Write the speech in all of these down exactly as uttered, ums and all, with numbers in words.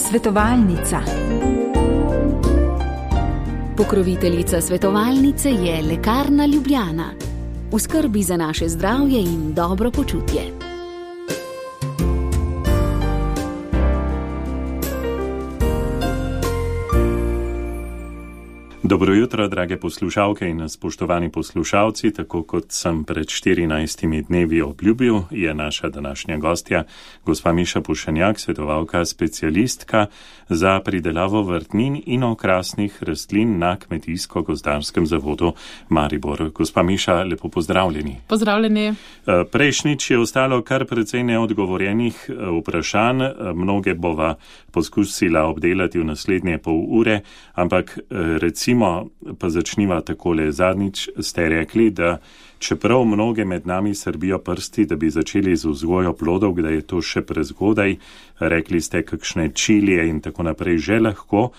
Svetovalnica. Pokroviteljica svetovalnice je Lekarna Ljubljana. V skrbi za naše zdravje in dobro počutje. Dobro jutro, drage poslušalke in spoštovani poslušalci. Tako kot sem pred štirinajstimi dnevi obljubil, je naša današnja gostja gospa Miša Pušenjak, svetovalka specialistka za pridelavo vrtnin in okrasnih rastlin na Kmetijsko-gozdarskem zavodu Maribor. Gospa Miša, lepo pozdravljeni. Pozdravljeni. Prejšnjič je ostalo kar precej neodgovorjenih vprašanj. Mnoge bova poskusila obdelati v naslednje pol ure, ampak recimo pa začniva takole. Zadnjič ste rekli, da čeprav mnoge med nami srbijo prsti, da bi začeli z vzgojo plodov, da je to še prezgodaj, rekli ste kakšne čilije in tako naprej že lahko,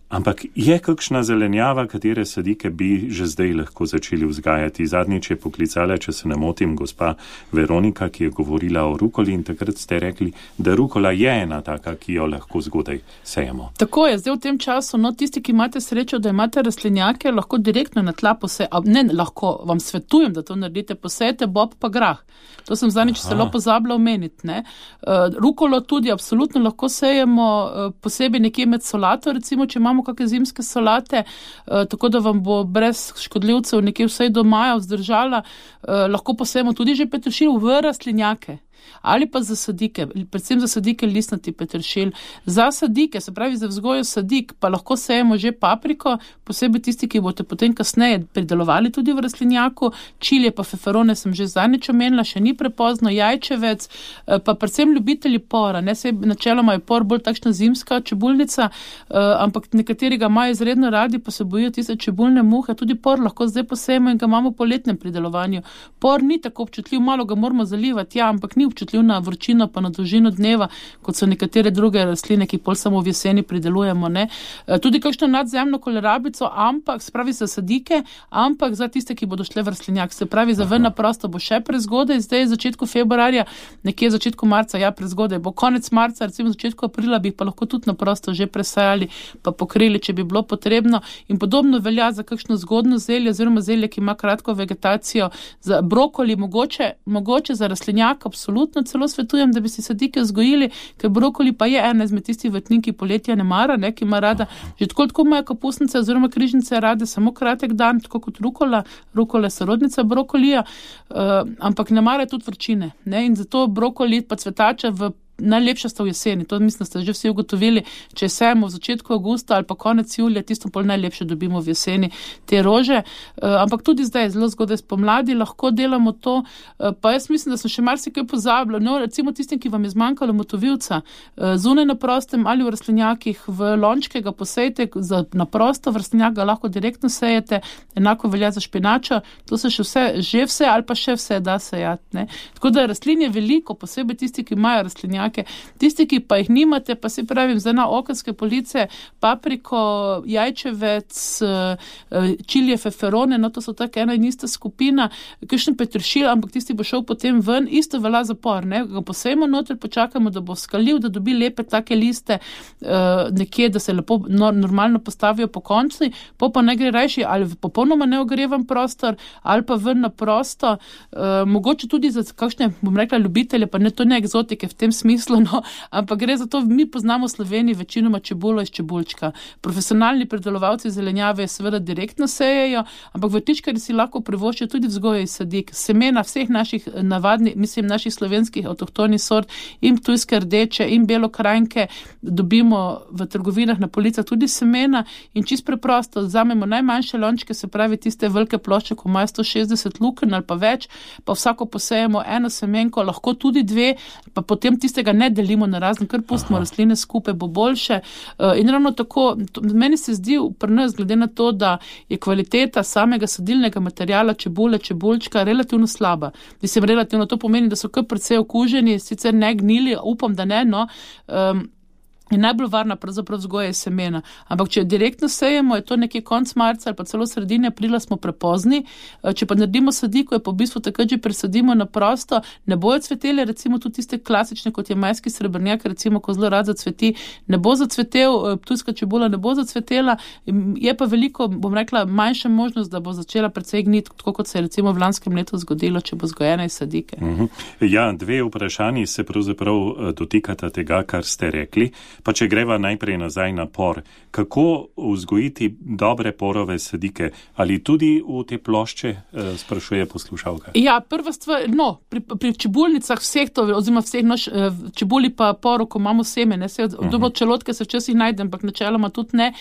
ampak je kakšna zelenjava, katere sadike bi že zdaj lahko začeli vzgajati. Zadnjič je poklicala, če se ne motim, gospa Veronika, ki je govorila o rukoli in takrat ste rekli, da rukola je ena taka, ki jo lahko zgodaj sejemo. Tako je, zdaj v tem času, no tisti, ki imate srečo, da imate rastlinjake, lahko direktno na tla posejete, ne lahko, vam svetujem, da to naredite, posejete bob pa grah. To sem zadnjič celo pozabila omeniti, ne. Uh, rukolo tudi absolutno lahko sejemo, uh, posebej nekje med solato, recimo, če imamo kakšne zimske solate, uh, tako da vam bo brez škodljivcev nekje vsej do maja vzdržala, uh, lahko posejemo tudi že peteršilj v rastlinjake. Ali pa za sadike, predvsem za sadike listnati peteršilj. Za sadike, se pravi za vzgojo sadik, pa lahko sejemo že papriko, posebej tisti, ki boste potem kasneje pridelovali tudi v rastlinjaku. Čilije pa feferone sem že zadnjič omenila, še ni prepozno, jajčevec, pa predvsem ljubitelji pora. Ne, se načeloma je por bolj takšna zimska čebulnica, ampak nekateri ga imajo izredno radi, pa se bojijo tiste čebulne muhe. Tudi por lahko zdaj posejemo in ga imamo v poletnem pridelovanju. Por ni tako občutljiv, malo ga moramo zalivati, ja, ampak ni občutljiv na vročino pa na dolžino dneva, kot so nekatere druge rastline, ki pol samo v jeseni pridelujemo, ne. Tudi kakšno nadzemno kolerabico, ampak, se pravi za sadike, ampak za tiste, ki bodo šle v rastlinjak. Se pravi, za ven na prosto bo še prezgodaj, zdaj začetku februarja, nekje začetku marca, ja, prezgodaj bo konec marca, recimo začetku aprila bi pa lahko tudi na prosto že presajali, pa pokrili, če bi bilo potrebno. In podobno velja za kakšno zgodno zelje, oziroma zelje, ki ima kratko vegetacijo. Za brokoli mogoče, mogoče za rastlinjak absolutno celo svetujem, da bi si sadike vzgojili, ker brokoli pa je ena izmed tistih vrtnin, ki poletja ne mara, ne, ki ima rada, že tako tako imajo kapusnice oziroma križnice rade samo kratek dan, tako kot rukola, rukola je sorodnica brokolija, uh, ampak ne mara tudi vročine, ne, in zato brokoli pa cvetača v najlepša sta v jeseni, to mislim, da ste že vsi ugotovili, če sejemo v začetku avgusta ali pa konec julija, tisto pol najlepše dobimo v jeseni te rože, uh, ampak tudi zdaj, zelo zgodaj spomladi lahko delamo to, uh, pa jaz mislim, da sem še marsikaj pozabila, no, recimo tistim, ki vam je zmanjkalo motovilca, uh, zunaj na prostem ali v rastlinjakih, v lončke ga posejte, za, na prosto v rastlinjak ga lahko direktno sejete, enako velja za špinačo, to se še vse, že vse ali pa še vse da sejati, ne. Tako da rastlin je veliko, posebej tisti, ki imajo rastlinjak. Tisti, ki pa jih nimate, pa si pravim, za na okenske police, papriko, jajčevec, čilije, feferone, no to so tako ena in ista skupina, kakšen peteršilj, ampak tisti bo šel potem ven, isto velja za por, ne, ga posejmo noter, počakamo, da bo skalil, da dobi lepe take liste nekje, da se lepo normalno postavijo po konci, po pa ne gre rajši ali v popolnoma neogrevan prostor, ali pa ven na prosto, mogoče tudi za kakšne, bom rekla, ljubitelje, pa ne to ne egzotike v tem smislu, No, ampak gre za to, mi poznamo v Sloveniji večinoma čebulo iz čebulčka. Profesionalni predelovalci zelenjave seveda direktno sejejo, ampak vrtičkarji si lahko privoščijo tudi vzgojo iz sadik. Semena vseh naših navadnih, mislim, naših slovenskih avtohtonih sort, in ptujske rdeče, in belokrajnke, dobimo v trgovinah na policah tudi semena in čisto preprosto vzamemo najmanjše lončke, se pravi tiste velike plošče, ko imajo sto šestdeset lukenj ali pa več, pa vsako posejemo eno semenko, lahko tudi dve, pa potem tiste ga ne delimo na razne, kar pustimo rastline skupaj, bo boljše. In ravno tako, to, meni se zdi pri nas, glede na to, da je kvaliteta samega sadilnega materiala čebule, čebulčka relativno slaba. Mislim, relativno to pomeni, da so kar precej okuženi, sicer ne gnili, upam, da ne, no. Um, je najbolj varna pravzaprav vzgoja semena. Ampak če direktno sejemo, je to nekje konc marca ali pa celo sredine aprila, smo prepozni. Če pa naredimo sadiko, je pa v bistvu takrat že presadimo na prosto, ne bojo cvetele, recimo tudi tiste klasične, kot je majski srebrnjak, recimo, ko zelo rad zacveti, ne bo zacvetel, ptujska čebula ne bo zacvetela, je pa veliko, bom rekla, manjša možnost, da bo začela precej gniti, tako kot se je recimo v lanskem letu zgodilo, če bo zgojena iz sadike. Uh-huh. Ja, dve vprašanji se pravzaprav dotikata tega, kar ste rekli. Pa če greva najprej nazaj na por, kako vzgojiti dobre porove sadike? Ali tudi v te plošče, sprašuje poslušalka? Ja, prva stvar, no, pri, pri čebulnicah vseh to, oziroma vseh naš, čebuli pa poru, ko imamo seme, ne, se, uh-huh. Dobro, čelotke se včasih najde, ampak načeloma tudi ne.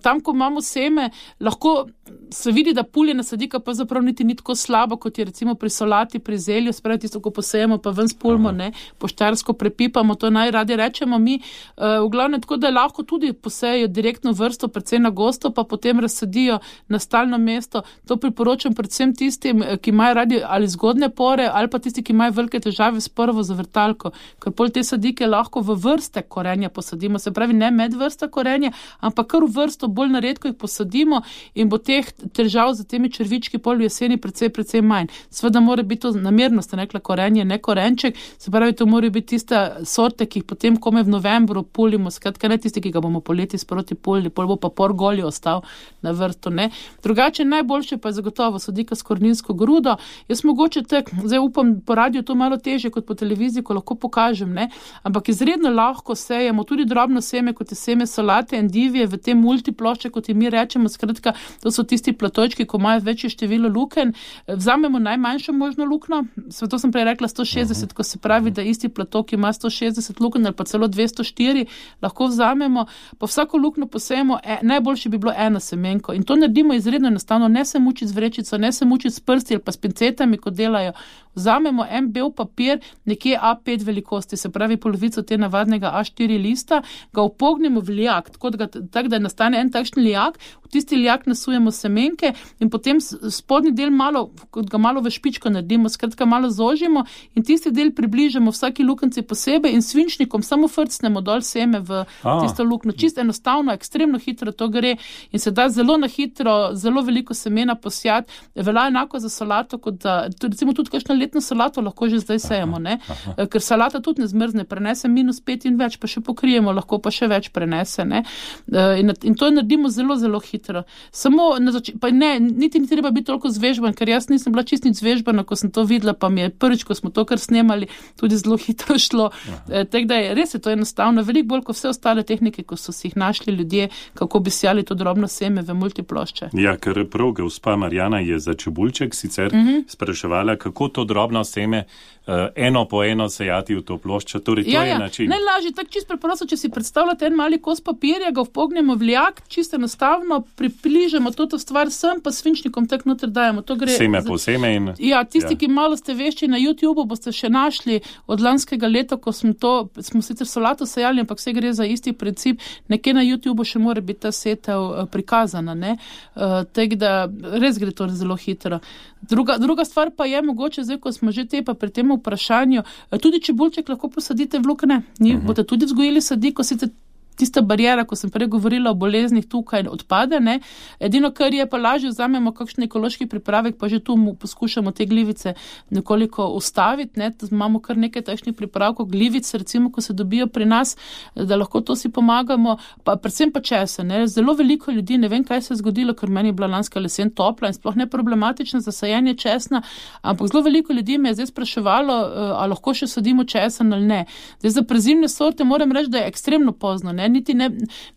Tam, ko imamo seme, lahko se vidi, da puljena sadika pa zaprav niti ni tako slabo, kot je recimo pri solati, pri zelju, spravi tisto, ko posejemo, pa ven spulmo, ne, poštarsko prepipamo, to najradi rečemo mi. V glavnem tako, da lahko tudi posejo direktno vrsto, predvsem na gosto, pa potem razsadijo na stalno mesto. To priporočam predvsem tistim, ki imajo radi ali zgodne pore, ali pa tisti, ki imajo velike težave s prvo zavrtalko, ker pol te sadike lahko v vrste korenja posadimo, se pravi ne med vrsta korenja, ampak kar v vrsto bolj naredko jih posadimo in bo teh težav za temi črvički pol v jeseni precej, precej manj. Sveda mora biti to namerno, ste rekla, korenje, ne korenček, se pravi, to mora biti tiste sorte, ki jih potem kome v novembru pulimo, skratka ne tisti, ki ga bomo poleti sproti pulili, pol bo pa por goli ostal na vrtu, ne. Drugače najboljše pa je zagotovo sadika s koreninsko grudo. Jaz mogoče tak, zdaj upam, po radiju to malo težje kot po televiziji, ko lahko pokažem, ne, ampak izredno lahko sejemo tudi drobno seme, kot je seme solate, endivije, v te multiplošče, kot je mi rečemo, skratka, to so tisti platojčki, ko imajo večje število luken. Vzamemo najmanjšo možno lukno, to sem prej rekla sto šestdeset, ko se pravi, da isti platok ima sto šestdeset luken ali pa celo dvesto štiri, lahko vzamemo, pa vsako lukno posejemo, e, najboljše bi bilo eno semenko in to naredimo izredno enostavno, ne se mučiti z vrečico, ne se mučiti s prsti ali pa s pincetami, kot delajo. Vzamemo en bel papir, nekje A pet velikosti, se pravi polovico te navadnega A štiri lista, ga upognemo v lijak, tako da, tak, da nastane en takšen lijak, v tisti lijak nasujemo semenke in potem spodnji del malo, kot ga malo v špičko naredimo, skratka malo zožimo in tisti del približamo vsaki lukenci posebej in svinčnikom samo frcnemo dol seme v A. tisto lukno. Čisto enostavno, ekstremno hitro to gre in se da zelo na hitro, zelo veliko semena posjati. Velja enako za solato, kot da, recimo tudi kakšno letno solato lahko že zdaj sejemo, ne? Ker salata tudi ne zmrzne, prenese minus pet in več, pa še pokrijemo, lahko pa še več prenese, ne? In, in to naredimo zelo, zelo hitro. Samo, na zač- pa ne, niti ni treba biti toliko zvežban, ker jaz nisem bila čist nič zvežbana, ko sem to videla, pa mi je prvič, ko smo to kar snemali, tudi zelo hitro šlo. E, tako da je, res je to enostavno, veliko bolj kot vse ostale tehnike, ko so si jih našli ljudje, kako bi sjali to drobno seme v multiplošče. Ja, ker prav gospa Marjana je za čebulček sicer mm-hmm. spraševala, kako to drobno seme uh, eno po eno sejati v to ploščo, torej to ja, je ja. način. Najlažje, tako čisto preprosto, če si predstavljate en mali kos papirja, ga vpognemo v lijak, čisto enostavno, približamo toto stvar sem, pa svinčnikom tak noter dajemo. To gre seme za... po seme in... Ja, tisti, ja. ki malo ste vešči na YouTubeu, boste še našli od lanskega leta, ko smo to, smo sicer solato sejali, ampak vse gre za isti princip, nekje na YouTubeu še mora biti ta setev prikazana, ne? Uh, tako da res gre to zelo hitro. Druga, druga stvar pa je mogoče, zdaj, ko smo že te pa pri tem vprašanju, tudi čebulček lahko posadite v lukne, ni, uh-huh. boste tudi vzgojili sadiko, sicer tista barijera, ko sem prej govorila o boleznih, tukaj odpade, ne. Edino, kar je pa lažje, vzamemo kakšen ekološki pripravek, pa že tu mu poskušamo te glivice nekoliko ustaviti, ne. Imamo kar nekaj takšnih pripravkov, glivic, recimo, ko se dobijo pri nas, da lahko to si pomagamo, pa predvsem pa česen, ne. Zelo veliko ljudi, ne vem, kaj se je zgodilo, ker meni je bila lanska jesen topla in sploh ne problematična za sajenje česna, ampak zelo veliko ljudi me je zdaj spraševalo, a lahko še sadimo česen ali ne. Zdaj, za prezimne sorte moram reči, da je ekstremno pozno, ne. Niti ne,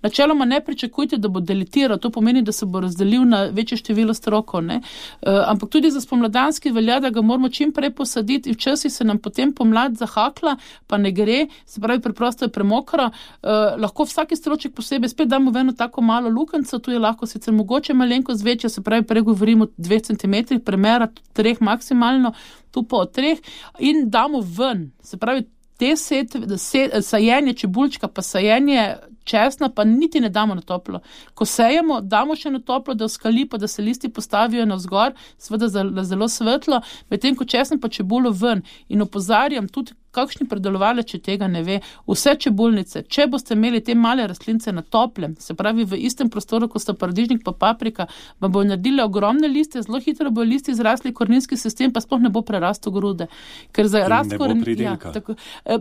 načeloma ne pričakujte, da bo delitiral, to pomeni, da se bo razdelil na večje število strokov, ne. E, ampak tudi za spomladanski velja, da ga moramo čim prej posaditi in včasih se nam potem pomlad zahakla, pa ne gre, se pravi, preprosto je premokro, e, lahko vsaki stroček posebej spet damo v eno tako malo lukenco, tu je lahko sicer mogoče malenko zvečja, se pravi, pregovorimo dve centimetri, premera treh maksimalno, tu pa od treh in damo ven, se pravi, te setve, se, sajenje čebulčka, pa sajenje česna, pa niti ne damo na toplo. Ko sejemo, damo še na toplo, da oskali, pa da se listi postavijo navzgor, seveda zelo svetlo, medtem ko česen pa čebulo ven. In opozarjam tudi kakšni predelovalec, če tega ne ve, vse čebulnice, če boste imeli te male rastlince na toplem, se pravi v istem prostoru, ko sta paradižnik pa paprika, vam bojo naredili ogromne liste, zelo hitro bojo listi zrasli, koreninski sistem pa sploh ne bo prerastel grude. Ker za rast korenin, ja, tako,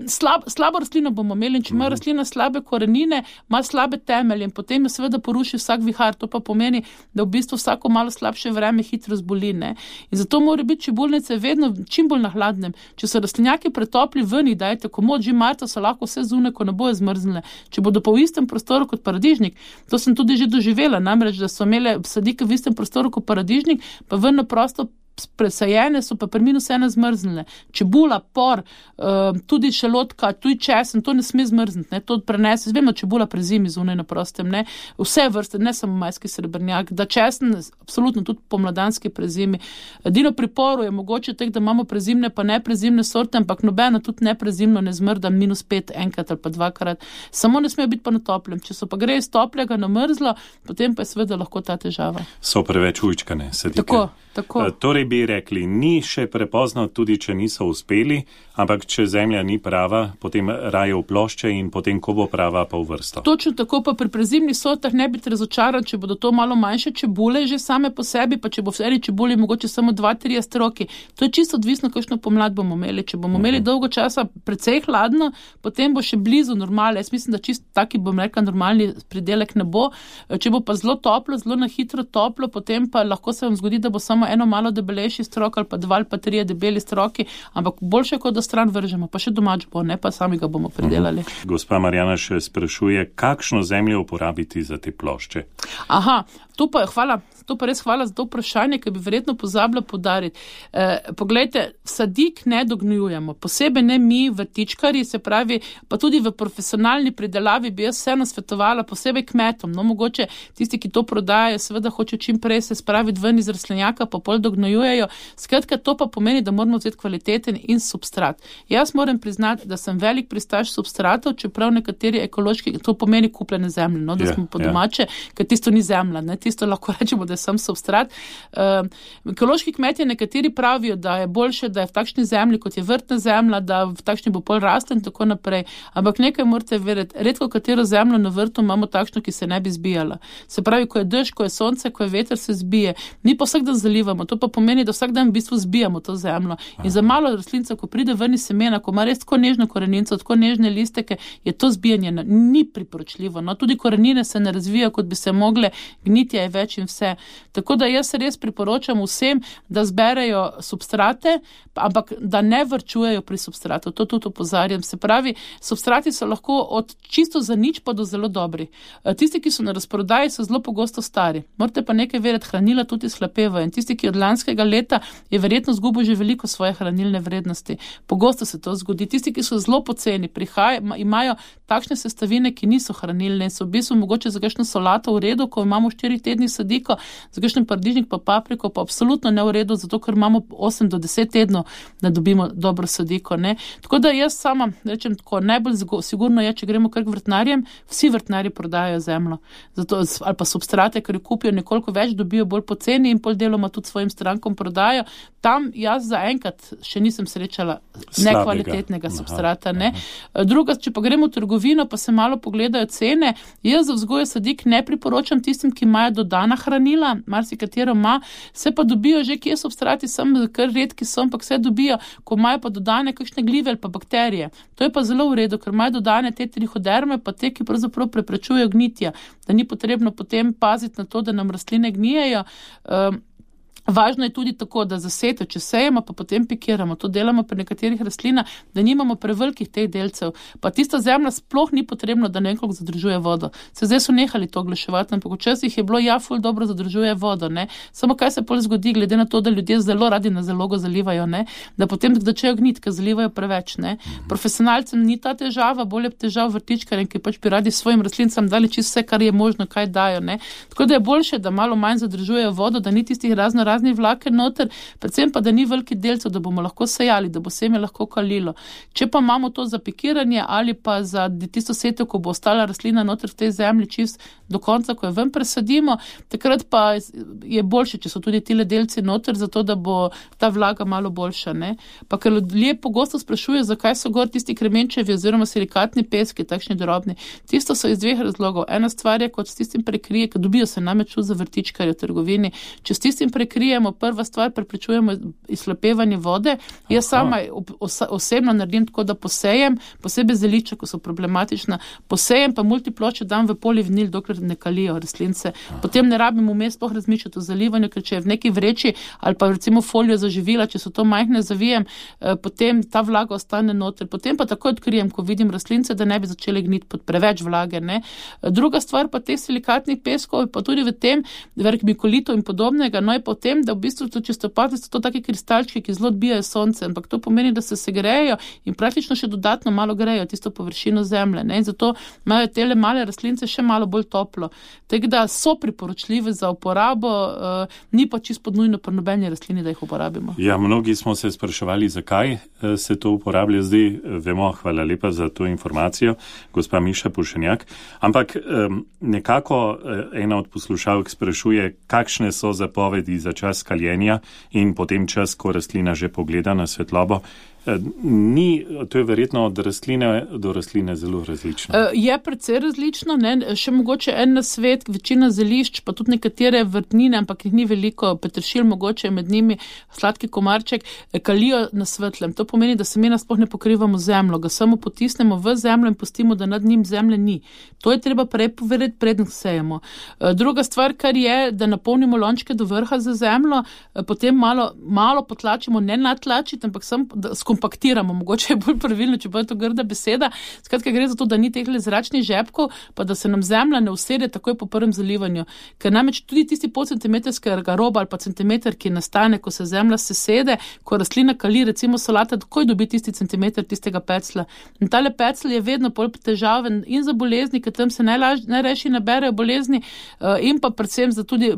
slab, slabo rastlino bomo imeli, in če ima rastlina slabe korenine, ima slabe temelje in potem jo seveda poruši vsak vihar, to pa pomeni, da v bistvu vsako malo slabše vreme hitro zboli, ne. In zato mora biti čebulnice vedno čim bolj na hladnem. Če so rastlinjaki pretopli ven, dajte komod, že marca so lahko vse zunaj, ko ne bojo zmrznile. Če bodo pa v istem prostoru kot paradižnik, to sem tudi že doživela, namreč, da so imele sadike v istem prostoru kot paradižnik, pa ven na prosto presajene so pa pri minus ena zmrznile. Čebula, por, uh, tudi šalotka, tudi česen, to ne sme zmrzniti, ne, to prenese, vemo, čebula prezimi zunaj na prostem, ne, vse vrste, ne samo majski srebrnjak, da česen, absolutno tudi pomladanski prezimi. Edino pri poru je mogoče tek, da imamo prezimne pa neprezimne sorte, ampak nobena tudi neprezimno ne zmrda minus pet enkrat ali pa dvakrat. Samo ne smejo biti pa na toplem. Če so pa gre iz toplega na mrzlo, potem pa je seveda lahko ta težava. So preveč ujčkane sadike. Tako, tako. Torej bi rekli, ni še prepozno, tudi če niso uspeli, ampak če zemlja ni prava, potem raje v plošče in potem, ko bo prava, pa v vrsto. Točno tako, pa pri prezimnih sortah ne biti razočaran, če bodo to malo manjše čebule že same po sebi, pa če bo v eni čebuli mogoče samo dva tri stroki. To je čisto odvisno, kakšno pomlad bomo imeli. Če bomo imeli dolgo časa precej hladno, potem bo še blizu normale. Jaz mislim, da čisto taki, bom rekla, normalni pridelek ne bo. Če bo pa zelo toplo, zelo na hitro toplo, potem pa lahko se vam zgodi, da bo samo eno malo debelejši strok ali pa dva ali pa trije debeli stroki, ampak boljše, kot da stran vržemo, pa še domač bo, ne pa sami ga bomo pridelali. Uh-huh. Gospa Marjana še sprašuje, kakšno zemljo uporabiti za te plošče? Aha, to pa je hvala, to pa res hvala za to vprašanje, ki bi verjetno pozabila podariti. E, poglejte, sadik ne dognjujemo, posebej ne mi, vrtičkari, se pravi, pa tudi v profesionalni pridelavi bi jaz vseeno svetovala, posebej kmetom, no mogoče tisti, ki to prodajajo, seveda hoče čim prej se spraviti ven iz rastlinjaka, pa pol dognjujejo. Skratka, to pa pomeni, da moramo vzeti kvaliteten in substrat. Jaz moram priznati, da sem velik pristaš substratov, čeprav nekateri ekološki, to pomeni kupljene zemlje, no, da yeah, smo po domače, yeah. ker tisto ni zemlja, ne, tisto lahko rečemo, da je sam substrat. Uh, ekološki kmetje nekateri pravijo, da je boljše, da je v takšni zemlji, kot je vrtna zemlja, da v takšni bo pol rasla in tako naprej. Ampak nekaj morate verjeti, redko katero zemljo na vrtu imamo takšno, ki se ne bi zbijala. Se pravi, ko je dež, ko je sonce, ko je veter, se zbije. Mi pa vsak dan zalivamo, to pa pomeni, da vsak dan v bistvu zbijamo to zemljo. In za malo rastlinca, ko pride ven iz semena, ko ima res tako nežno koreninco, tako nežne listeke, je to zbijanje ni priporočljivo. No, tudi korenine se ne razvijajo, kot bi se mogle, gnitja je več in vse. Tako da jaz res priporočam vsem, da zberejo substrate, ampak da ne varčujejo pri substratu. To tudi opozarjam. Se pravi, substrati so lahko od čisto za nič pa do zelo dobri. Tisti, ki so na razprodaji, so zelo pogosto stari. Morate pa nekaj vedeti, hranila tudi slapevajo. In tisti, ki od lanskega leta je verjetno zgubil že veliko svoje hranilne vrednosti. Pogosto se to zgodi. Tisti, ki so zelo poceni, prihajajo, imajo takšne sestavine, ki niso hranilne in so v bistvu mogoče za kakšno solato v redu, ko imamo štiri tedni sadiko, za kakšen paradižnik pa papriko pa absolutno ne v redu, zato ker imamo osem do deset tednov, da dobimo dobro sadiko, ne. Tako da jaz sama rečem tako, najbolj sigurno je, če gremo kar k vrtnarjem, vsi vrtnarji prodajajo zemljo. Zato, ali pa substrate, ker jo kupijo nekoliko več, dobijo bolj poceni in pol deloma tudi svojim strankom prodajo. Tam jaz zaenkrat še nisem srečala nekvalitetnega substrata, ne. Druga, če pa gremo v trgovino, pa se malo pogledajo cene, jaz za vzgojo sadik ne priporočam tistim, ki imajo dodana hranila, marsikatero ima, se pa dobijo že kje substrati, sem kar redki so, ampak se dobijo, ko imajo pa dodane kakšne glive ali pa bakterije. To je pa zelo v redu, ker imajo dodane te trihoderme, pa te, ki pravzaprav preprečujejo gnitja, da ni potrebno potem paziti na to, da nam rastline gnijejo. Um, Važno je tudi tako, da zaseto, če sejemo, pa potem pikiramo. To delamo pri nekaterih rastlinah, da nimamo prevelikih teh delcev. Pa tista zemlja sploh ni potrebno, da nekako zadržuje vodo. Se zdaj so nehali to oglaševati, ampak včasih je bilo ja, ful dobro zadržuje vodo, ne. Samo kaj se pol zgodi, glede na to, da ljudje zelo radi na zalogo zalivajo, ne, da potem začejo gniti, ker zalivajo preveč, ne. Profesionalcem ni ta težava, bolje težav vrtičkarjem, ki pač bi radi svojim rastlincam dali čisto vse, kar je možno, kaj dajo, ne. Tako da je boljše, da malo manj zadržujejo vodo, da ni tistih razno prazni vlake noter, predvsem pa, da ni veliki delcev, da bomo lahko sejali, da bo seme lahko kalilo. Če pa imamo to za pikiranje ali pa za tisto setev, ko bo ostala rastlina noter v tej zemlji čist do konca, ko jo ven presadimo, takrat pa je boljše, če so tudi tile delci noter, zato da bo ta vlaga malo boljša. Ne? Pa ker ljudje pogosto sprašujejo, zakaj so gor tisti kremenčevi oziroma silikatni peski, takšni drobni. Tisto so iz dveh razlogov. Ena stvar je, kot s tistim prekrije, ker dobijo se namreč za vrtičkarje v trgovini. Če s tistim prekrijemo, prva stvar, preprečujemo izhlapevanje vode. Aha. Jaz sama osebno naredim tako, da posejem, posebej zelišča, ko so problematična, posejem pa multiploče dam v polivinil, dokler ne kalijo rastlince. Potem ne rabim vmes sploh razmišljati o zalivanju, ker če je v neki vreči ali pa recimo folijo za živila, če so to majhne, zavijem, potem ta vlaga ostane noter. Potem pa takoj odkrijem, ko vidim rastlince, da ne bi začeli gniti pod preveč vlage. Ne? Druga stvar pa teh silikatnih peskov, pa tudi v tem, vermikulito in podobnega, no je pa v tem, da v bistvu to, če ste opazili, so to taki kristalčki, ki zelo odbijajo sonce, ampak to pomeni, da se segrejejo in praktično še dodatno malo grejo tisto površino zemlje. Ne? In zato imajo tele male rastlince še malo bolj toplo. Tako da so priporočljive za uporabo, uh, ni pa čisto nujno pri nobeni rastlini, da jih uporabimo. Ja, mnogi smo se spraševali, zakaj se to uporablja. Zdaj vemo, hvala lepa za to informacijo, gospa Miša Pušenjak. Ampak um, nekako ena od poslušalk sprašuje, kakšne so zapovedi za čas kaljenja in potem čas, ko rastlina že pogleda na svetlobo. Ni, to je verjetno od rastline do rastline zelo različno. Je precej različno, ne? Še mogoče en nasvet, večina zelišč, pa tudi nekatere vrtnine, ampak jih ni veliko, peteršilj mogoče med njimi, sladki komarček, kalijo na svetlem. To pomeni, da semena sploh ne pokrivamo zemljo, ga samo potisnemo v zemljo in pustimo, da nad njim zemlje ni. To je treba prej povedati, preden sejemo. Druga stvar, kar je, da napolnimo lončke do vrha za zemljo, potem malo, malo potlačimo, ne natlačiti, ampak samo kompaktiramo, mogoče je bolj pravilno, če bo to grda beseda. Skratka, gre za to, da ni teh zračnih žepkov, pa da se nam zemlja ne usede takoj po prvem zalivanju. Ker namreč tudi tisti pol centimetrskega roba ali pa centimeter, ki nastane, ko se zemlja sesede, ko rastlina kali, recimo solata, takoj dobi tisti centimeter tistega pecla. In tale pecl je vedno bolj težaven in za bolezni, ker tam se najrešji naberejo bolezni in pa predvsem za tudi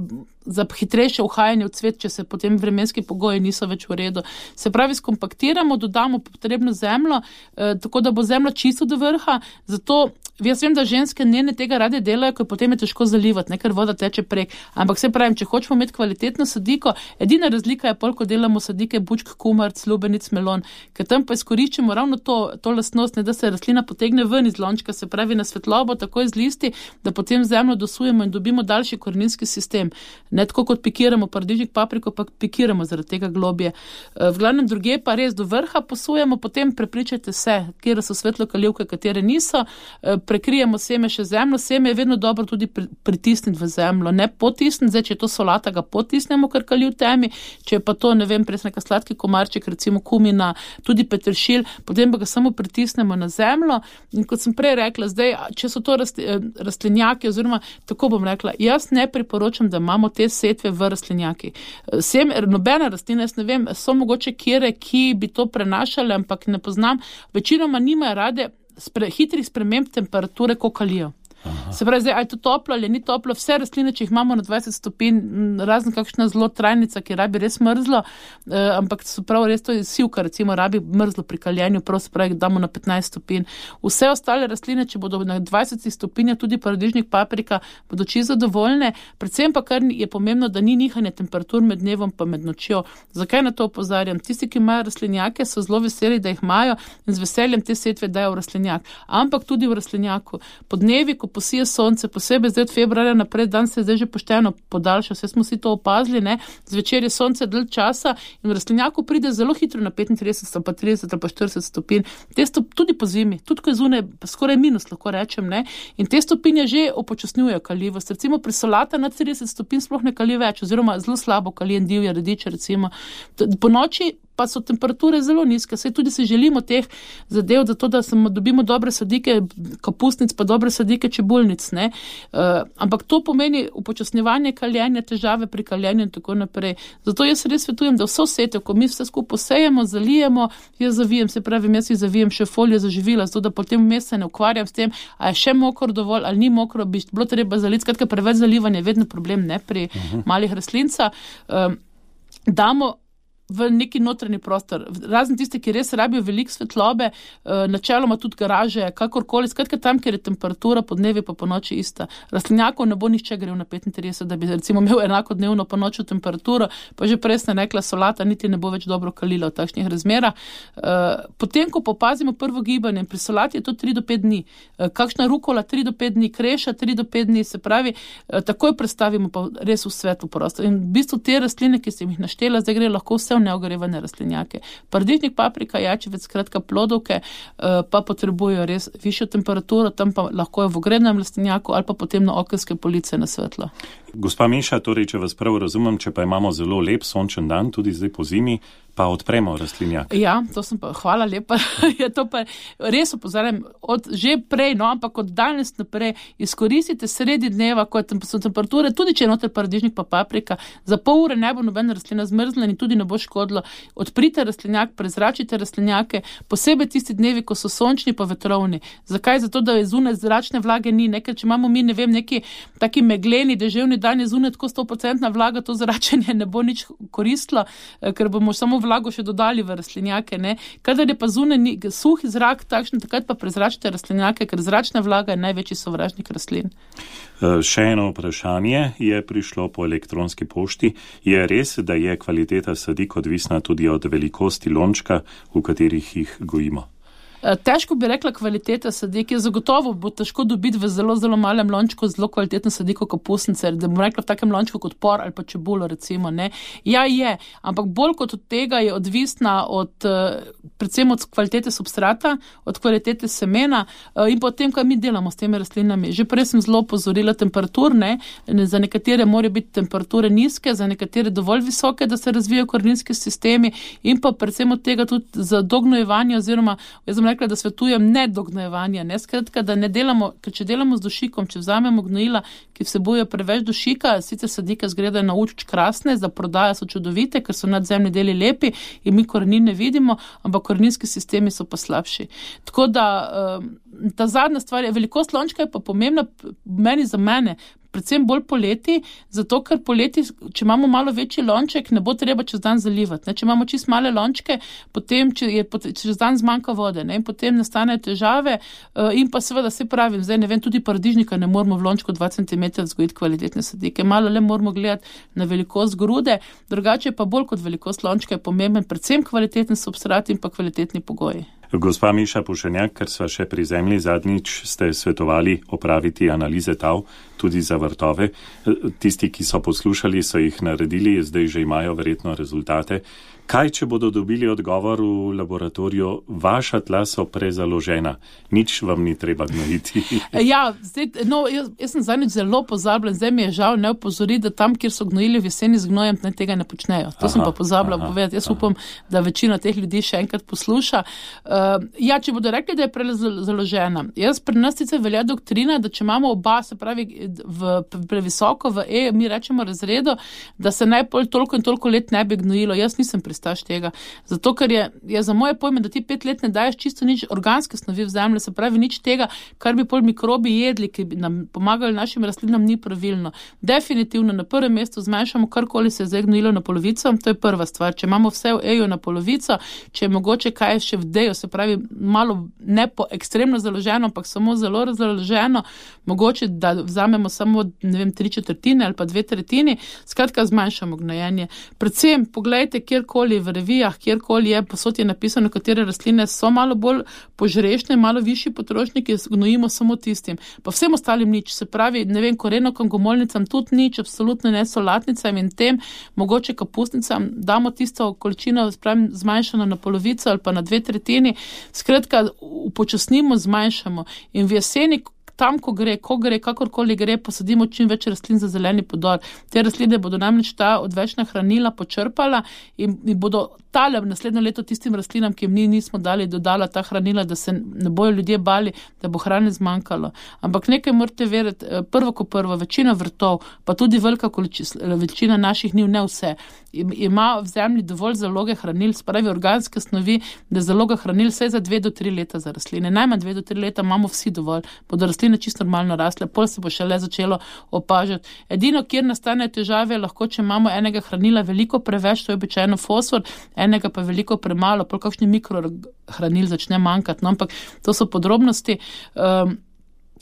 za hitrejše uhajanje v cvet, če se potem vremenski pogoji niso več v redu. Se pravi, skompaktiramo, dodamo potrebno zemljo, eh, tako da bo zemlja čisto do vrha, zato jaz vem, da ženske njene tega rade delajo, ker potem je težko zalivati, ne, ker voda teče prek. Ampak se pravim, če hočemo imeti kvalitetno sadiko, edina razlika je pol, ko delamo sadike bučk, kumarc, lubenic, melon, ker tam pa izkoriščamo ravno to, to lastnost, ne, da se rastlina potegne ven iz lončka, se pravi na svetlobo, takoj z listi, da potem zemljo dosujemo in dobimo daljši koreninski sistem. Ne tako kot pikiramo paradižnik, papriko, pa pikiramo zaradi tega globje. V glavnem druge pa res do vrha posujemo, potem prepričajte se, kjer so svetlokalivke, katere niso, prekrijemo seme še zemljo, seme je vedno dobro tudi pritisniti v zemljo, ne potisniti, zdaj, če je to solata, ga potisnemo, ker kali v temi, če je pa to, ne vem, pres neka sladki komarček, recimo kumina, tudi peteršilj, potem pa ga samo pritisnemo na zemljo in kot sem prej rekla, zdaj, če so to rastlinjaki, oziroma tako bom rekla, jaz ne priporočam, da imamo te setve v rastlinjaki. Sem, nobena rastlina, jaz ne vem, so mogoče kjere, ki bi to prenašale, ampak ne poznam, večinoma nimajo rade spre, hitrih sprememb temperature, ko kalijo. Aha. Se pravi, zdaj, ali je to toplo ali ni toplo, vse rastline, če jih imamo na dvajset stopinj, razen kakšna zelo trajnica, ki rabi res mrzlo, eh, ampak so prav res to je sivka, recimo, rabi mrzlo pri kaljenju, prav se pravi, damo na petnajst stopinj. Vse ostale rastline, če bodo na dvajset stopinj, tudi paradižnik, paprika, bodo čisto zadovoljne, predvsem pa kar je pomembno, da ni nihanje temperatur med dnevom pa med nočjo. Zakaj na to opozarjam? Tisti, ki imajo rastlinjake, so zelo veseli, da jih imajo in z veseljem te setve dajo v rastlinjak, ampak tudi v rastlinjaku. Podnevi, ko posije sonce, posebej zdaj od februarja naprej, dan se je zdaj že pošteno podaljšal, vse smo si to opazili, ne, zvečer je sonce dalj časa in v rastlinjaku pride zelo hitro na petintrideset, pa trideset ali pa štirideset stopinj. Te stop, tudi po zimi, tudi ko je zunaj, skoraj minus, lahko rečem, ne, in te stopinje že upočasnjujejo kalivost. Recimo pri solata na trideset stopinj sploh ne kali več, oziroma zelo slabo kali en divja radiča, recimo. Po noči pa so temperature zelo nizke, saj tudi si želimo teh zadev, zato da samo dobimo dobre sadike kapustnic, pa dobre sadike čebulnic, ne. Uh, ampak to pomeni upočasnjevanje kaljenja, težave pri kaljenju in tako naprej. Zato jaz res svetujem, da vso setev, ko mi vse skupaj posejemo, zalijemo, jaz zavijem, se pravi, jaz si zavijem še folijo za živila, zato da potem vmes se ne ukvarjam s tem, a je še mokro dovolj, ali ni mokro, bi bilo treba zaliti, skratka preveč zalivanja je vedno problem, ne, pri uh-huh. malih rastlinca. Um, damo v neki notranji prostor. Razen tiste, ki res rabijo veliko svetlobe, načeloma tudi garaže, kakorkoli, skratka tam, kjer je temperatura po dnevi pa po noči ista. Rastlinjakov ne bo nihče grel na petintrideset, da bi recimo imel enako dnevno po noču temperaturo, pa že prej sem rekla, solata niti ne bo več dobro kalila v takšnih razmerah. Potem, ko popazimo prvo gibanje, pri solati je to tri do pet dni. Kakšna rukola tri do pet dni, kreša tri do pet dni, se pravi, takoj predstavimo pa res v svetlo prostor. In v bistvu te rastline, ki sem jih naštela, zdaj gre lahko vse neogrevane rastlinjake. Paradižnik, paprika, jajčevec, skratka plodovke, pa potrebujejo res višjo temperaturo, tam pa lahko je v ogrevanem rastlinjaku ali pa potem na okenske police na svetlo. Gospa Miša, torej, če vas prav razumem, če pa imamo zelo lep sončen dan, tudi zdaj po zimi, pa odpremo rastlinjak. Ja, to sem pa, hvala lepa, je to pa res opozarjam, od že prej, no, ampak od danes naprej izkoristite sredi dneva, ko so temperature, tudi če je noter paradižnik pa paprika, za pol ure ne bo nobena rastlina zmrzla in tudi ne bo škodilo. Odprite rastlinjak, prezračite rastlinjake, posebej tisti dnevi, ko so sončni pa vetrovni. Zakaj? Zato, da je zunaj zračne vlage ni, nekaj, če imamo mi, ne vem, neki taki megleni, deževni dan je zunaj tako sto procentna vlaga, to zračenje ne bo nič koristilo, ker bomo samo vlago še dodali v rastlinjake, ne. Kadar je pa zunaj suh zrak takšen, takrat pa prezračite rastlinjake, ker zračna vlaga je največji sovražnik rastlin. Še eno vprašanje je prišlo po elektronski pošti. Je res, da je kvaliteta sadik odvisna tudi od velikosti lončka, v katerih jih gojimo? Težko bi rekla kvaliteta sadik, je zagotovo bo težko dobiti v zelo, zelo malem lončku zelo kvalitetno sadiko kapusnice, da bom rekla v takem lončku kot por ali pa čebulo recimo, ne. Ja, je, ampak bolj kot od tega je odvisna od, predvsem od kvalitete substrata, od kvalitete semena in potem, kaj mi delamo s temi rastlinami. Že prej sem zelo opozorila temperaturne, za nekatere morajo biti temperature nizke, za nekatere dovolj visoke, da se razvijajo koreninski sistemi in pa predvsem od tega tudi za dognojevanje oziroma, jaz sem rekla, da svetujem ne dognojevanja, ne, skratka, da ne delamo, ker če delamo z dušikom, če vzamemo gnojila, ki vsebujejo preveč dušika, sicer sadike zgledajo na oči krasne, za prodajo so čudovite, ker so nadzemni deli lepi in mi korenin ne vidimo, ampak koreninski sistemi so pa slabši. Tako da, ta zadnja stvar je, velikost lončka je pa pomembna meni za mene, predvsem bolj poleti, zato ker poleti, če imamo malo večji lonček, ne bo treba čez dan zalivati. Ne? Če imamo čist male lončke, potem če je čez dan zmanjka vode, ne? In potem nastanejo težave in pa seveda se pravim, zdaj ne vem, tudi paradižnika ne moramo v lončku dva centimetra vzgojiti kvalitetne sadike. Malo le moramo gledati na velikost grude, drugače pa bolj kot velikost lončka je pomemben predvsem kvaliteten substrat in pa kvalitetni pogoji. Gospa Miša Pušenjak, ker sva še pri zemlji zadnjič, ste svetovali opraviti analize tav tudi za vrtove. Tisti, ki so poslušali, so jih naredili, zdaj že imajo verjetno rezultate. Kaj, če bodo dobili odgovor v laboratoriju, vaša tla so prezaložena, nič vam ni treba gnojiti? Ja, zdaj, no, jaz, jaz sem zadnjič zelo pozabljen, zdaj mi je žal ne opozori, da tam, kjer so gnojili v jeseni z gnojem, ne tega ne počnejo. To aha, sem pa pozabila povedati. Jaz aha. upam, da večina teh ljudi še enkrat posluša. Uh, ja, če bodo rekli, da je prezaložena. Jaz pri nas sicer velja doktrina, da če imamo oba, se pravi, v, previsoko v E, mi rečemo razredu, da se najpol toliko in toliko let ne bi gnojilo. Jaz nisem pristaš tega. Zato, ker je, je za moje pojme, da ti pet let ne daješ čisto nič organske snovi v zemlji, se pravi nič tega, kar bi pol mikrobi jedli, ki bi nam pomagali našim rastlinam, ni pravilno. Definitivno na prvem mestu zmanjšamo karkoli se je zdaj gnojilo na polovico, to je prva stvar. Če imamo vse v E-ju na polovico, če je mogoče kaj še v D-ju, se pravi malo ne po ekstremno založeno, ampak samo zelo razloženo, mogoče, da vzamemo samo, ne vem, tri četrtine ali pa dve tretjini, skratka zmanjšamo gnojenje. Predvsem, poglejte, kjerkoli v revijah, kjerkoli je, posod je napisano, katere rastline so malo bolj požrešne, malo višji potrošniki, gnojimo samo tistim. Pa vsem ostalim nič, se pravi, ne vem, korenokom, gomolnicam tudi nič, absolutno ne solatnicam in tem, mogoče kapustnicam, damo tisto količino, spravim, zmanjšano na polovico ali pa na dve tretjini, skratka, upočasnimo, zmanjšamo in v jeseni, tam, ko gre, ko gre, kakorkoli gre, posadimo čim več rastlin za zeleni podor. Te rastline bodo namreč ta odvečna hranila počrpala in, in bodo tale naslednjo leto tistim rastlinam, ki jim mi nismo dali, dodala ta hranila, da se ne bojo ljudje bali, da bo hrane zmanjkalo. Ampak nekaj morate veriti, prvo ko prvo, večina vrtov, pa tudi velika količina, večina naših njiv, ne vse, ima v zemlji dovolj zaloge hranil, spravi organske snovi, da zaloga hranil vse za dve do tri leta za rastline. Najmanj dve do tri leta imamo vsi dovolj, bodo rastline rastline čisto normalno rasle, pol se bo šele začelo opažati. Edino, kjer nastane težave, lahko, če imamo enega hranila veliko preveč, to je običajno fosfor, enega pa veliko premalo, pol kakšni mikrohranil začne manjkati, no, ampak to so podrobnosti. Um,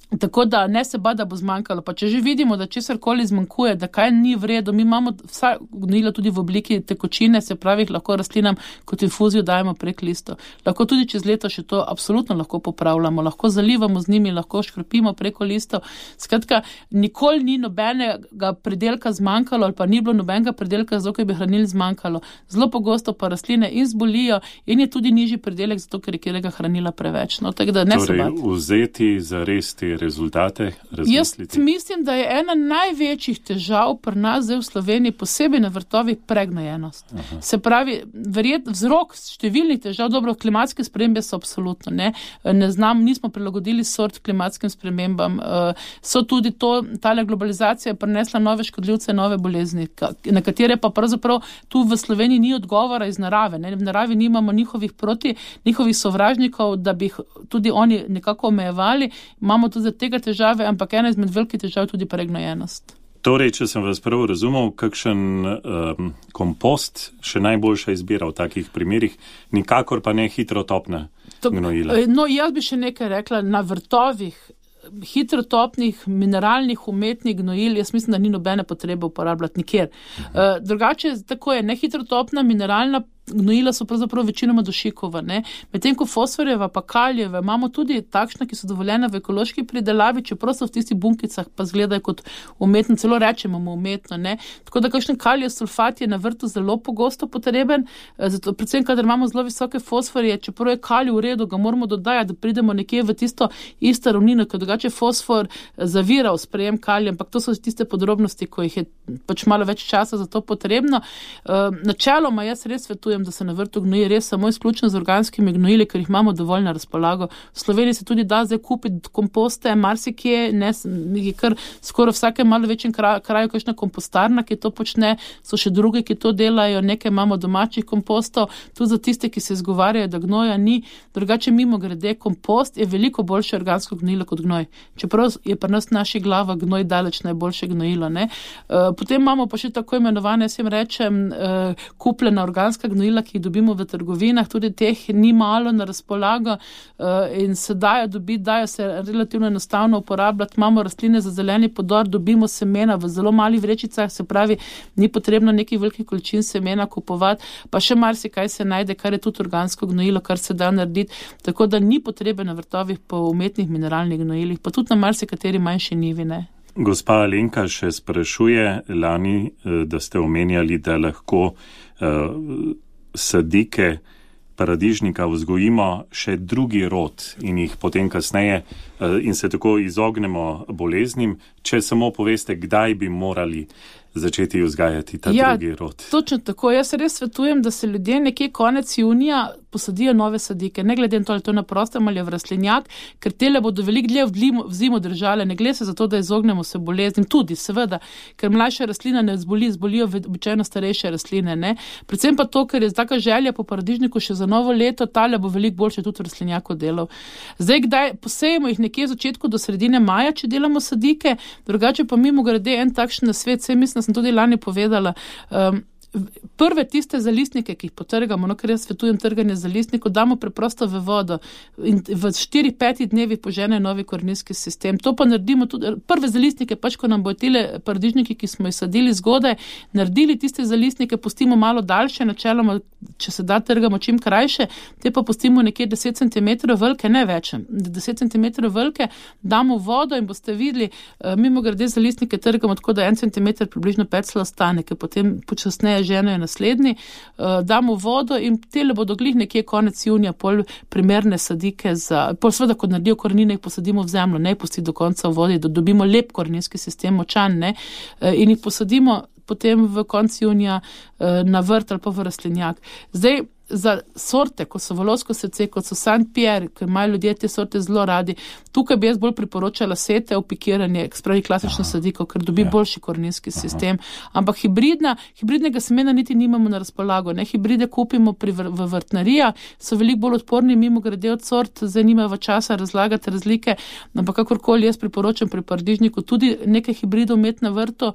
Tako da ne se ba, da bo zmanjkalo. Pa če že vidimo, da česarkoli zmanjkuje, da kaj ni v redu, mi imamo vsa gnojila tudi v obliki tekočine, se pravi, lahko rastlinam kot infuzijo dajemo prek listov. Lahko tudi čez leto še to absolutno lahko popravljamo, lahko zalivamo z njimi, lahko škropimo preko listov. Skratka, nikoli ni nobenega predelka zmanjkalo ali pa ni bilo nobenega predelka, zato ker bi hranil zmanjkalo. Zelo pogosto pa rastline in zbolijo in je tudi nižji predelek, zato ker je kjerega hranila preveč. No, tako da ne torej, se bati. Vzeti za res te rezultate, razmisliti? Jaz mislim, da je ena največjih težav pri nas zdaj v Sloveniji, posebej na vrtovih, pregnojenost. Aha. Se pravi, verjet, vzrok številnih težav, dobro, klimatske spremembe so absolutno, ne, ne znam, nismo prilagodili sort klimatskim spremembam, so tudi to, tale globalizacija je prinesla nove škodljivce, nove bolezni, na katere pa pravzaprav tu v Sloveniji ni odgovora iz narave, ne, v naravi nimamo njihovih proti, njihovih sovražnikov, da bi jih tudi oni nekako omejevali, imamo tudi za tega težave, ampak ena izmed velikih težav je tudi pregnojenost. Torej, če sem vas prav razumel, kakšen um, kompost še najboljša izbira v takih primerih, nikakor pa ne hitrotopna gnojila? No, jaz bi še nekaj rekla, na vrtovih hitrotopnih, mineralnih, umetnih gnojil, jaz mislim, da ni nobene potrebe uporabljati nikjer. Uh, drugače, tako je, nehitrotopna, mineralna gnojila so pravzaprav večinoma dušikova, ne. Medtem ko fosforjeva pa kalijeva imamo tudi takšna, ki so dovoljena v ekološki pridelavi, čeprav so v tistih bunkicah pa izgledajo kot umetno, celo rečemo umetno, ne. Tako da kakšen kalijev sulfat je na vrtu zelo pogosto potreben, zato predvsem, kadar imamo zelo visoke fosforje, čeprav je kalij v redu, ga moramo dodajati, da pridemo nekje v tisto isto ravnino, ker drugače fosfor zavira v sprejem kalija, ampak to so tiste podrobnosti, ko jih je pač malo več časa za to potrebno. Načeloma jaz res svetujem, da se na vrtu gnoji res samo izključno z organskimi gnojili, ker jih imamo dovolj na razpolago. V Sloveniji se tudi da zdaj kupiti komposte, marsikje, ne, je kar skoraj vsake malo večjem kraju, kraju kakšna kompostarna, ki to počne, so še druge, ki to delajo, nekaj imamo domačih kompostov, tudi za tiste, ki se izgovarjajo, da gnoja ni. Drugače mimo grede, kompost je veliko boljše organsko gnojilo kot gnoj. Čeprav je pri nas naši glava gnoj daleč najboljše gnojilo, ne. Uh, potem imamo pa še tako imenovane, jaz jim rečem, uh, kupljena organska gnojila, ki jih dobimo v trgovinah, tudi teh ni malo na razpolago uh, in se dajo dobiti, dajo se relativno enostavno uporabljati. Imamo rastline za zeleni podor, dobimo semena v zelo malih vrečicah, se pravi, ni potrebno nekih velikih količin semena kupovati, pa še marsikaj se najde, kar je tudi organsko gnojilo, kar se da narediti, tako da ni potrebe na vrtovih po umetnih mineralnih gnojilih, pa tudi na marsikateri manjši njivi, ne. Gospa Alenka še sprašuje lani, da ste omenjali, da lahko uh, sadike paradižnika vzgojimo še drugi rod in jih potem kasneje uh, in se tako izognemo boleznim, če samo poveste, kdaj bi morali začeti vzgajati ta ja, drugi rod. Točno tako. Jaz res svetujem, da se ljudje nekje konec junija posadijo nove sadike, ne glede na to, ali to na prostem ali v rastlinjak, ker tele bodo veliko dlje v zimu držale, ne gre se za to, da izognemo se boleznim, tudi seveda, ker mlajša rastlina ne zboli, zbolijo običajno starejše rastline, ne. Predvsem pa to, ker je taka želja po paradižniku še za novo leto, tale bo veliko boljše tudi v rastlinjaku delal. Zdaj, kdaj posejemo jih nekje v začetku do sredine maja, če delamo sadike, drugače pa mimo grede en takšen nasvet, saj mislim, sem tudi lani povedala, um, prve tiste zalistnike, ki jih potrgamo, no, ker jaz svetujem trganje zalistnikov, damo preprosto v vodo in v štiri pet dnevi požene novi koreninski sistem. To pa naredimo tudi, prve zalistnike, pač ko nam bo tile paradižniki, ki smo jih sadili zgodaj, naredili tiste zalistnike, pustimo malo daljše, načeloma, če se da, trgamo čim krajše, te pa pustimo nekje deset centimetrov velike, ne več, deset centimetrov velike, damo vodo in boste videli, mimo grede zalistnike trgamo tako, da en centimeter približno pecla ostane, ker potem počasneje ženo je naslednji, uh, damo vodo in tele bodo glih nekje konec junija pol primerne sadike za, pol seveda, ko naredijo korenine, jih posadimo v zemljo, ne pusti do konca v vodi, da dobimo lep koreninski sistem, močan, ne, uh, in jih posadimo potem v koncu junija uh, na vrt ali pa v rastlinjak. Zdaj, za sorte, ko so volovsko srce, kot so Saint Pierre, ki imajo ljudje te sorte zelo radi, tukaj bi jaz bolj priporočala sete, opikiranje, spravi klasično sadiko, ker dobi ja. boljši koreninski sistem. Ampak hibridna, hibridnega semena niti nimamo na razpolago. Ne? Hibride kupimo pri, v vrtnarijah, so veliko bolj odporni, mimo grede od sort, zdaj nimajo časa razlagati razlike, ampak kakorkoli jaz priporočam pri paradižniku tudi nekaj hibridov imeti na vrtu.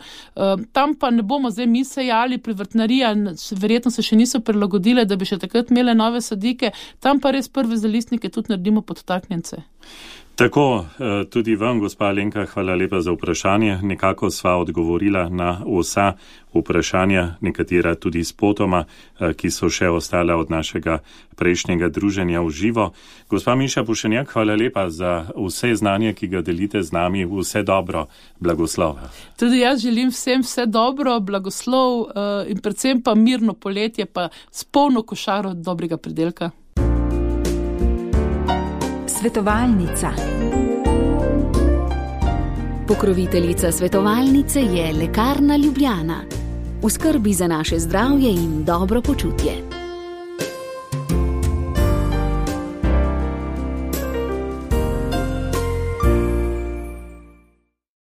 Tam pa ne bomo zdaj mi sejali pri vrtnarijah, verjetno se še niso prilagodile, da bi še takrat imele nove sadike, tam pa res prve zalistnike tudi naredimo podtaknjence. Tako, tudi vam, gospa Alenka, hvala lepa za vprašanje. Nekako sva odgovorila na vsa vprašanja, nekatera tudi spotoma, ki so še ostala od našega prejšnjega druženja v živo. Gospa Miša Pušenjak, hvala lepa za vse znanje, ki ga delite z nami. Vse dobro, blagoslova. Tudi jaz želim vsem vse dobro, blagoslov in predvsem pa mirno poletje, pa s polno košaro dobrega pridelka. Svetovalnica. Pokroviteljica svetovalnice je Lekarna Ljubljana. V skrbi za naše zdravje in dobro počutje.